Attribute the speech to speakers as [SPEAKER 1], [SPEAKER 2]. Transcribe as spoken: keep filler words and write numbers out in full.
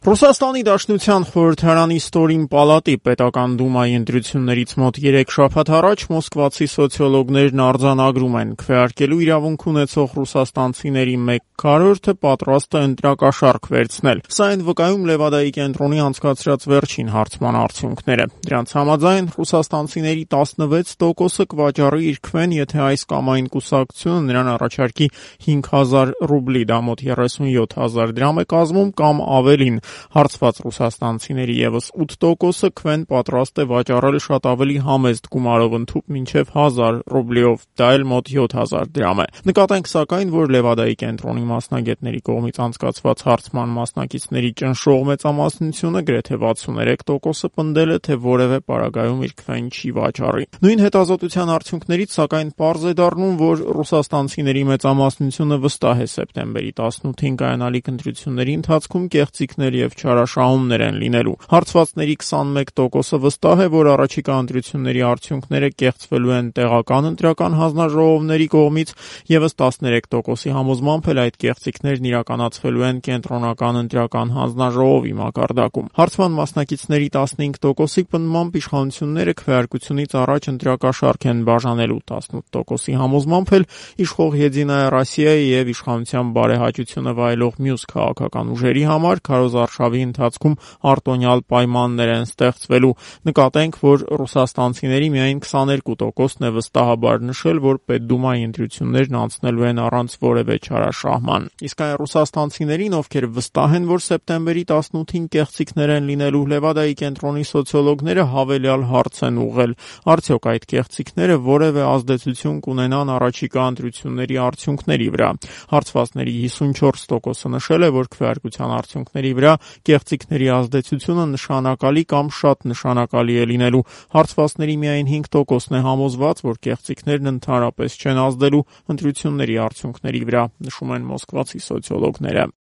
[SPEAKER 1] Ռուսաստանի Դաշնության խորհրդարանի ստորին պալատի պետական դումայի ընտրություններից մոտ երեք շաբաթ առաջ մոսկվացի սոցիոլոգներն արձանագրում են քվեարկելու իրավունք ունեցող ռուսաստանցիների մեկ քառորդը պատրաստ է ընտրակաշառք վերցնել։ Սա են վկայում Լևադայի կենտրոնի անցկացրած վերջին հարցման արդյունքները։ Դրանց համաձայն ռուսաստանցիների տասնվեց տոկոսը կվաճառի իր քվեն, եթե այս կամ այն կուսակցությունը նրան առաջարկի հինգ հազար ռուբլի, դա մոտ երեսունյոթ հազար դրամ է կազմում կամ ավելին։ Հարցված ռուսաստանցիների ևս ութ տոկոսը քվեն պատրաստ է վաճառել շատ ավելի համեստ գումարով ընդհուպ մինչև հազար ռուբլիով, դա էլ մոտ յոթ հազար դրամ է։ Նկատենք սակայն, որ Լևադայի կենտրոնի մասնագետների կողմից անցկացված հարցման մասնակիցների ճնշող մեծամասնությունը գրեթե վաթսուններեք տոկոսը պնդել է, թե որևէ պարագայում իր քվեն չի վաճառի։ Նույն հետազոտության արդյունքներից սակայն պարզ է դառնում, որ ռուսաստանցիների մեծամասնությունը վստահ է սեպտեմբերի տասնութին կայանալիք ընտրությունների ընթացքում կեղծիքներ և չարաշահումներ են լինելու։ Հարցվածների քսանմեկ տոկոսը վստահ է, որ առաջիկա ընտրությունների արդյունքները կեղծվելու են տեղական ընտրական հանձնաժողովների կողմից, ևս տասներեք տոկոսի համոզմամբ էլ այդ կեղծիքներն իրականացվելու են կենտրոնական ընտրական հանձնաժողովի մակարդակում։ Հարցման մասնակիցների տասնհինգ տոկոսի պնդմամբ իշխանությունները քվեարկությունից առաջ ընտրակաշառք են բաժանելու, տասնութ տոկոսի համոզմամբ էլ իշխող Եդինայա Ռոսիայի և իշխանության բարեհաճությունը վայելող մյուս քաղաքական ուժերի համար քարոզարշավի ընթացքում արտոնյալ պայմաններ են ստեղծվելու։ Նկատենք, որ ռուսաստանցիների միայն քսաներկու տոկոսն է վստահաբար նշել, որ Պետդումայի ընտրություններն անցնելու են առանց որևէ չարաշահման։ Իսկ այն ռուսաստանցիներին, ովքեր վստահ են, որ սեպտեմբերի տասնութին կեղծիքներ են լինելու, Լևադայի կենտրոնի սոցիոլոգները հավելյալ հարց են ուղղել. արդյոք այդ կեղծիքները որևէ ազդեցություն կունենան առաջիկա ընտրությունների արդյունքների վրա։ Հարցվածների հիսունչորս տոկոսը նշել է, որ քվեարկության արդյունքների վրա կեղծիքների ազդեցությունը նշանակալի կամ շատ նշանակալի է լինելու։ Հարցվածների միայն հինգ տոկոսն է համոզված, որ կեղծիքներն ընդհանրապես չեն ազդելու ընտրությունների արդյունքների վրա, նշում են մոսկվացի սոցիոլոգները։